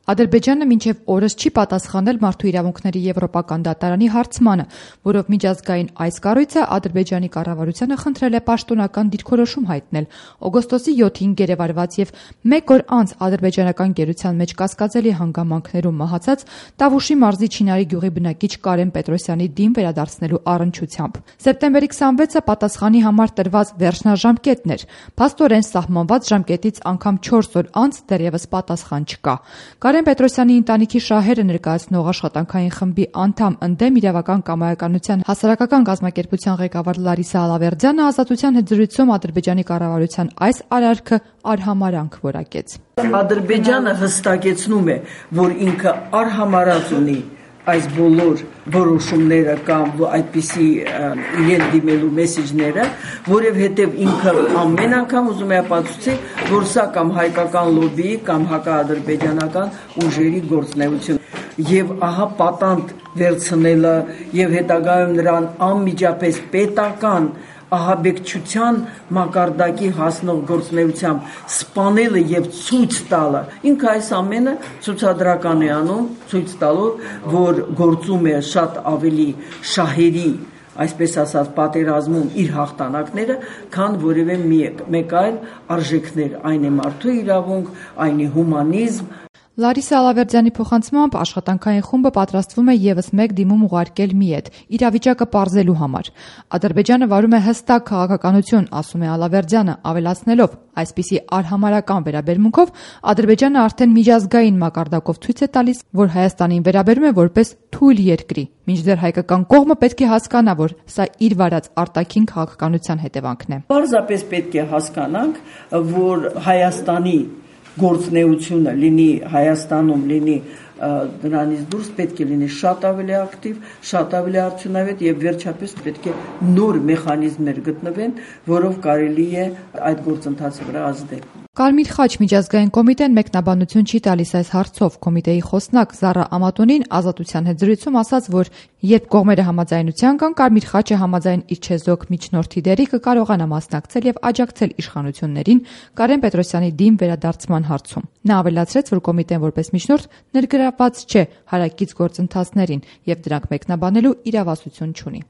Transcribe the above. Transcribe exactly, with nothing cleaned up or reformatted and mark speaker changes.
Speaker 1: Ադրբեջանը մինչև օրս չի պատասխանել Մարդու իրավունքների եվրոպական դատարանի հարցմանը, որով միջազգային այս կառույցը Ադրբեջանի կառավարությանը խնդրել է պաշտոնական դիրքորոշում հայտնել օգոստոսի յոթին գերեվարված եւ մեկ օր անց ադրբեջանական գերության մեջ կասկածելի հանգամանքներում մահացած Տավուշի մարզի Չինարի գյուղի բնակիչ Կարեն Պետրոսյանի դին վերադարձնելու առնչությամբ։ Սեպտեմբերի քսանվեցը պատասխանի համար տրված վերջնաժամկետն էր։ Փաստորեն սահմանված ժամկետից անգամ չորս օր անց դեռևս պատասխան չկա։ Կարեն Պետրոսյանի ընտանիքի շահերը ներկայացնող աշխատանքային խմբի անդամ ընդդեմ իրավական կամայականության հասարակական կազմակերպության ղեկավար Լարիսա Ալավերդյանը ազատության հետ զրույցում Ադրբեջանի կառավարության այս արարքը արհամարանք որակեց։
Speaker 2: Ադրբեջանը հստակեցնում է, որ ինքը արհամարած ունի այս բոլոր որոշումները կամ այդպիսի իրեն դիմելու մեսեջները, որովհետև ինքը ամեն անգամ ուզում է ապացուցի, որ սա կամ հայկական լոբբիի կամ հակաադրբեջանական ուժերի գործունեություն եւ ահա պատանդ վերցնելը եւ հետագայում նրան անմիջապես պետական ահաբեկչության մակարդակի հասնող գործունեությամբ սպանելը եւ ցույց տալը ինքը այս ամենը ցուցադրական է անում, ցույց տալով, որ գործում է շատ ավելի շահերի, այսպես ասած, պատերազմում իր հաղթանակները, քան որևէ մեկ այլ արժեքներ, այն է մարդու իրավունք, այն է հումանիզմ։
Speaker 1: Լարիսա Ալավերդյանի փոխանցմամբ աշխատանքային խումբը պատրաստվում է եւս մեկ դիմում ուղարկել ՄԻԵԴ իրավիճակը պարզելու համար։ Ադրբեջանը վարում է հստակ քաղաքականություն, ասում է Ալավերդյանը, ավելացնելով, այսպիսի արհամարական վերաբերմունքով Ադրբեջանը արդեն միջազգային մակարդակով ցույց է տալիս, որ Հայաստանին վերաբերում է որպես թույլ երկրի, մինչդեռ հայկական կողմը պետք է հասկանա, որ սա իր վարած արտաքին քաղաքականության հետևանքն է։
Speaker 2: Պարզապես պետք է հասկանանք, որ Հայաստանի գործնեությունը լինի Հայաստանում, լինի դրանից դուրս պետք է լինի շատ ավելի ակտիվ, շատ ավելի արդյունավետ եւ վերջապես պետք է նոր մեխանիզմներ գտնվեն, որով կարելի է այդ գործընթացի վրա ազդել։
Speaker 1: Կարմիր խաչ միջազգային կոմիտեն մեկնաբանություն չի տալիս այս հարցով։ Կոմիտեի խոսնակ Զարա Ամատոնին ազատության հետ զրույցում ասաց, որ երբ կողմերը համաձայնության կան, Կարմիր խաչը համաձայն իր չեզոք միջնորդի դերի կկարողանա մասնակցել եւ աջակցել իշխանություններին Կարեն Պետրոսյանի դին վերադարձման հարցում։ Նա ավելացրեց, որ կոմիտեն որպես միջնորդ ներգրավված չէ հարակից գործընթացներին եւ դրանք մեկնաբանելու իրավասություն չունի։